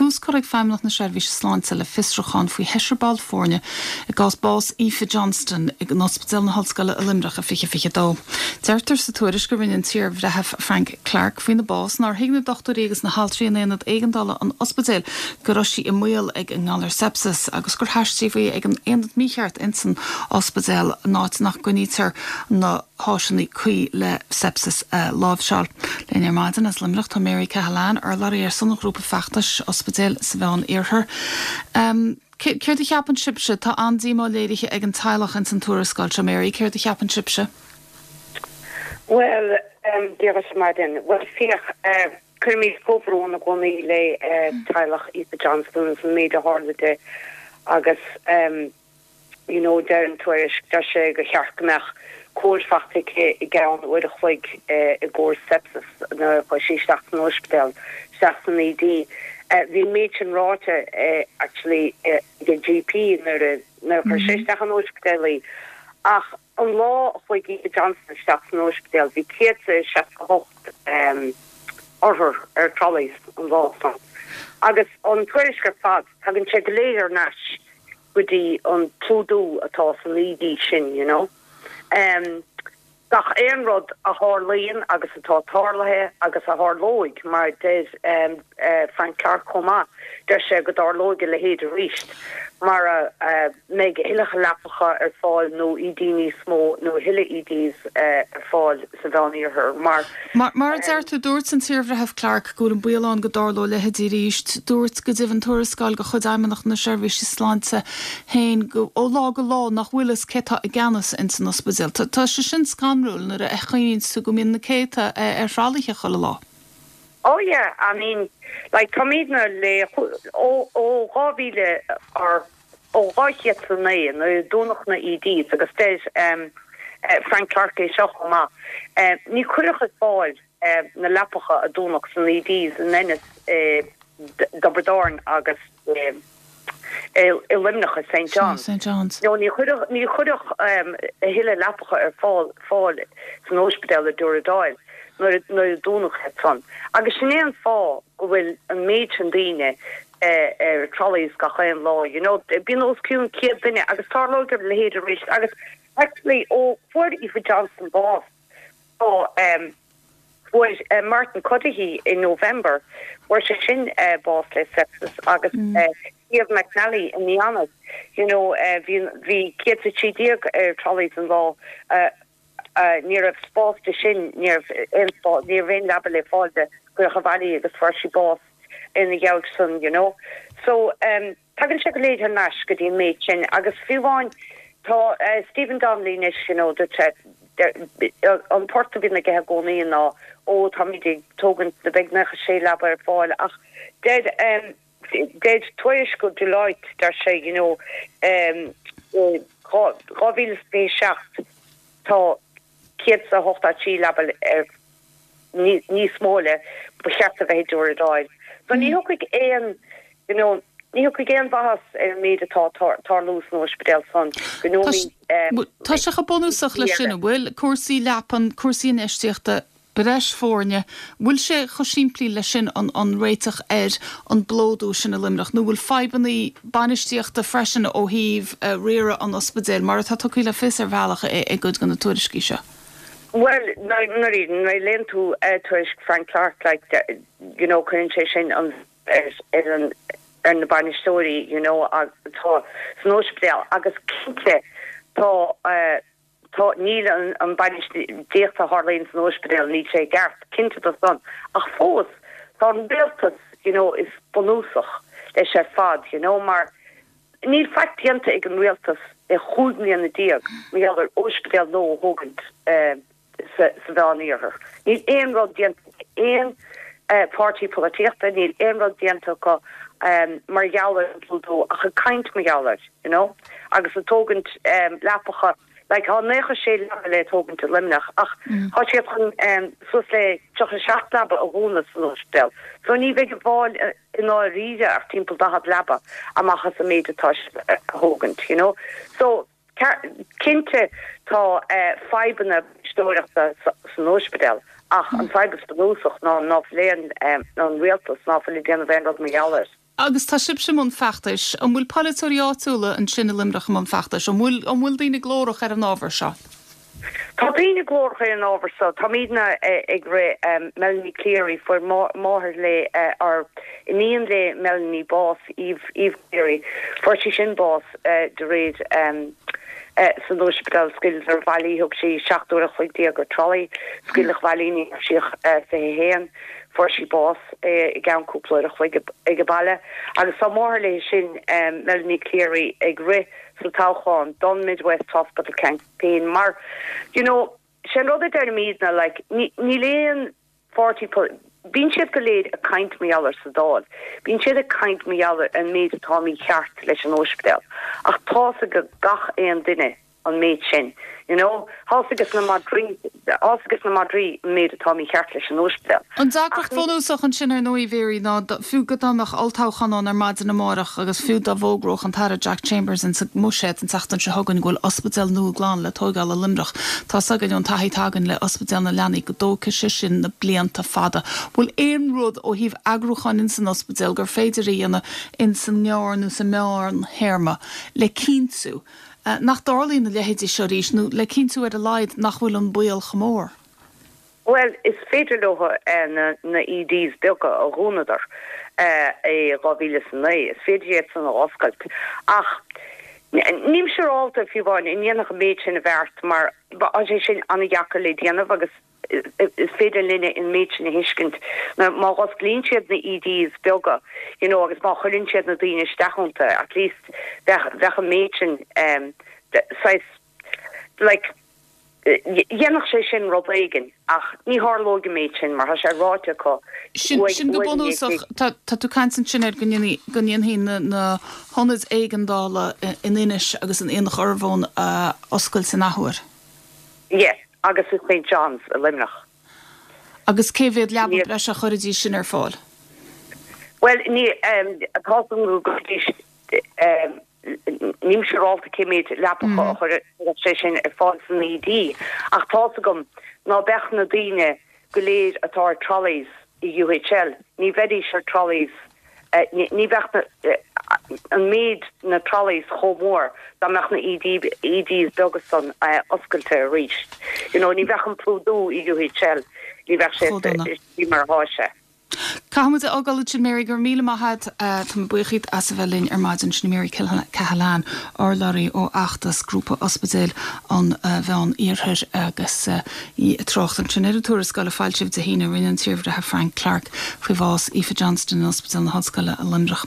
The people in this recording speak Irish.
tús curtha ag Feidhmeannacht na Seirbhíse Sláinte le fiosrúchán faoi sheisear ball foirne i gcás bás Aoife Johnston in Ospidéal na hOllscoile i Luimneach i 2022. Deirtear sa tuairisc a rinne an t-iarBhreitheamh Frank Clarke faoina bás nár thuig na dochtúirí agus na haltraí in aonad éigeandála an ospidéil go raibh sí i mbaol ag an ngalar sepsis agus gur haistríodh í ag an aonad mícheart insan ospidéal in áit nach gcoinnítear na háiseanna cuí le sepsis a láimhseáil. Linn ar maidin as Luimneach tá Mary Cahalane, urlabhraí ar son an ghrúpa feachtais Ospidéil sa Mheán Iarthar. Céard a cheapann sibhse? Tá an-díomá léirithe ag an teaghlach ins an tuarascáil seo, Mary, céard a cheapann sibhse? Bhuel, Dia dhuit ar maidin. Bhuel, féach, cuirimid comhbhrón i gcónaí le teaghlach Aoife Johnston agus an méid a tharla di agus, you know, deir an tuairisc, deir sé gur cheart go mbeadh cóir faighte aici i gceann uair a chloig i gcomhair sepsis nuair a chuaigh sí isteach san ospidéal, isteach san ED. Bhí an méid sin ráite actually ag an GP nuair a nuair a chuir sé isteach an ospidéal í. Ach an lá a chuaigh Aoife Johnston isteach san ospidéal bhí 168 othar ar trolleys an lá san. Agus an tuairisc ar fad, tagann sé go léir thar n-ais go dtí an plódú atá san ED sin, you know. Em, gach aon rud a tharlaíonn agus atá tarlaithe agus a tharlóidh, mar deir em, eh, Frank Clarke chomh maith, deir sé go dtarlóidh a leithéid arís mara eh, mbeidh a thuilleadh leapacha ar fáil nó ED níos mó nó a thuilleadh EDs eh, ar fáil sa Mheán-Iarthar mar Mar, mar a deir tú, dúirt an t-iarBhreitheamh Clarke go bhfuil an baol ann go dtarlódh a leithéidí arís. Dúirt go deimhin tuarascáil de chuid Fheidhmeannacht na Seirbhíse Sláinte féin go, ó lá go lá nach bhfuil fhios cé tá i gceannas ins an ospidéal. Tá, tá sé sin scanrúil nuair a chuimhníonn tú go mbíonn na céadta ar thralaithe chuile lá. Oh yeah, I mean, like táimidne le, ó, ó 2000 or, ó 2009 nuair a dúnadh na EDs agus deir Frank Clarke é seo chomh maith, ní cuireadh ar fáil na leapacha a dúnadh san EDs in Ennis, i dTiobraid Árann agus i Luimneach i St John's. No, ní cuireadh ní cuireadh a thuilleadh leapacha ar fáil fáil san ospidéal i Dúradáil nuair a dúnadh iad san. Agus sin é an fáth go bhfuil an méid sin daoine ar trolleys gach aon lá, you know, bíonn os cionn 100 duine agus tarlóidh a leithéid arís agus actually ó fuair Aoife Johnston bás tá um, fuair uh, Martin Cuddihy in November fuair sé sin uh, bás le sepsis agus mm. uh, Steve McNally i mí Eanáir, you know, uh, bhí bhí 113 ar trolleys an lá uh, uh, ní raibh spás di sin, ní raibh aon spás, ní raibh aon leaba le fáil di, cuireadh abhaile í agus fuair sí bás ina dhiaidh san, you know. So, um, tagann sé go léir thar n-ais go dtí an méid sin agus fiú amháin tá uh, Stephen Donnelly anois, you know, dúirt sé, an port a bhíonn aige i gcónaí ná ó táimid ag tógaint na beidh 96 leaba ar fáil ach deir um, deir tuairisc ó Deloitte deir sé you know um, 2027 tá 183 leaba ar níos mó le ba cheart a bheith i dTiúradail. So ní thiocfaidh aon you know ní thiocfaidh aon mhaitheas ar an méid atá ag tarlú san ospidéal san go nóiméad. Tá sé chomh bunúsach leis sin, an bhfuil? Cúrsaí leapan, cúrsaí infheistíochta, breis foirne, bhfuil sé chomh simplí leis sin an an réiteach ar an bplódú sin i Luimneach nó bhfuil fadhbanna bainistíochta freisin ó thaobh riaradh an ospidéil mar atá tugtha le fios ar bhealach i gcuid de na tuairiscí seo? Bhuel, nuair a léann tú tuairisc Frank Clarke, like, you know, cuireann sé sin an ar ar an ar na bainisteoirí, you know, atá san ospidéal agus cinnte tá tá níl an an bainistíocht a tharlaíonn san ospidéal, níl sé i gceart, cinnte de san. Ach fós, tá an rialtas, you know, is bunúsach leis ar fad, you know, mar Níl faic déanta ag an rialtas le 15 mbliana mar gheall ar ospidéal nua a thógaint sa Mheán-Iarthar. Níl aon rud déanta ag aon pháirtí polaitíochta, níl aon rud déanta acu mar gheall ar an bplódú ach ag caint mar gheall air, you know, agus ag tógaint leapacha. Like, tá 96 leaba le tógaint i Luimneach ach tá siad chun suas le 37 leaba a dhúnadh san ospidéal. So ní bheidh ar fáil i ndáiríre ach timpeall 40 leaba amach as an méid atá siad a thógaint, you know. So, cinnte tá fadhbanna bainisteoireachta san ospidéal ach an fadhb is bunúsach ná ná fuil aon, an rialtas ná fuil ag déanamh aon rud mar gheall air. Agus tá sibhse i mbun feachtais. An bhfuil polaiteoirí áitiúla ansin i Luimneach i mbun feachtais? An bhfuil, an bhfuil daoine glórach ar an ábhar seo? Tá daoine glórach ar an ábhar seo. Táimidne ag rith, Melanie Cleary, fuair máthair le, or iníon le Melanie bás, Eve, Eve Cleary, fuair sí sin bás de réir san ospidéal, scaoileadar abhaile í, thug sí 17 uair a chloig ar trolley, scaoileadh abhaile í, ní raibh sí ach 21, fuair sí bás i gceann cúpla uair a chloig ag an baile. Agus tá máthair léi sin, Melanie Cleary, ag rith sa toghchán don Mid West Hospital Campaign mar, you know, sé an rud a deirimidne, like, níl aon pháirtí, bíonn siad go léir ag caint mar gheall air sa Dáil, bíonn siad ag caint mar gheall ar an méid atá mícheart leis an óispidéal ach tá's ag gach aon duine an méid sin, you know, tá's ages na madraí, tá's ages na madraí an méid atá mícheart leis an óispidéal. An deacracht bhunúsach ansin ar ndóigh, Mary, ná fiú go dá mbeadh olltoghchán ann ar maidin amárach agus fiú dá bhfógródh an tAire Jack Chambers insa mBuiséad an tseachtain seo chugainn go bhfuil ospidéal nua glan le tóigeáil i Luimneach, tá's againn ón taithí atá againn le Ospidéal na Leanaí go dtógfaidh sé sin na blianta fada. Bhfuil aon rud ó thaobh eagrúcháin insan ospidéal gur féidir a dhéanamh insan ngearr nó sa meán théarma le cinntiú nach dtarlaíonn a leithéidí seo arís nó le cinntiú ar a laghad nach bhfuil an baol chomh mór? Bhuel, is féidir leo na EDs beaga a dhúnadar i 2009, is féidir iad san a oscailt. Ach nílim siúrálta fiú amháin an ndéanfadh an méid sin a bheart mar tá sé sin an-dheacair le déanamh agus is féidir linne an méid sin a thuiscint. Má dh'osclaíonn siad na EDs beaga, you know, agus má chuireann siad na daoine isteach iontu, at least bheadh, bheadh an méid sin saghas, like, dhéanfadh sé sin rud éigin ach ní tharlóidh an méid sin mar tá sé ráite acu Sin, sin go bunúsach, tá, tá tú ag caint ansin ar go ndéanfaí, go ndéanfaí na, na hionaid éigeandála in Inis agus in Aonach Urmhumhan a oscailt in athuair. Yeah, agus i St John's i Luimneach. Agus cé mhéad leaba breise a chuirfidís sin ar fáil? Bhuel, ní, tá a fhios agam go gcuirfidís, nílim siúrálta cé méid leapacha a chuirfeadh sé sin ar fáil san ED, ach tá a fhios agam ná beadh na daoine go léir atá ar trolleys i UHL, ní bheidís ar trolleys, ní bheadh an méid na trolleys chomh mór dá mbeadh na ED, EDs beaga san oscailte arís. You know, ní bheadh an plódú i UHL, ní bheadh sé mar atá sé. Caithfidh muid a fhágáil ansin Mary, go raibh míle maith agat. Tá mé buíoch díot as a bheith linn ar maidin. Sin í Mary Cahalane, urlabhraí ó fheachtas Grúpa Ospidéil an Mheán Iarthair agus í ag trácht ansin ar an tuarascáil a foilsíodh Dé hAoine a rinne an t-iarbhreitheamh Frank Clarke faoi bhás Aoife Johnston in Ospidéal na hOllscoile i Luimneach.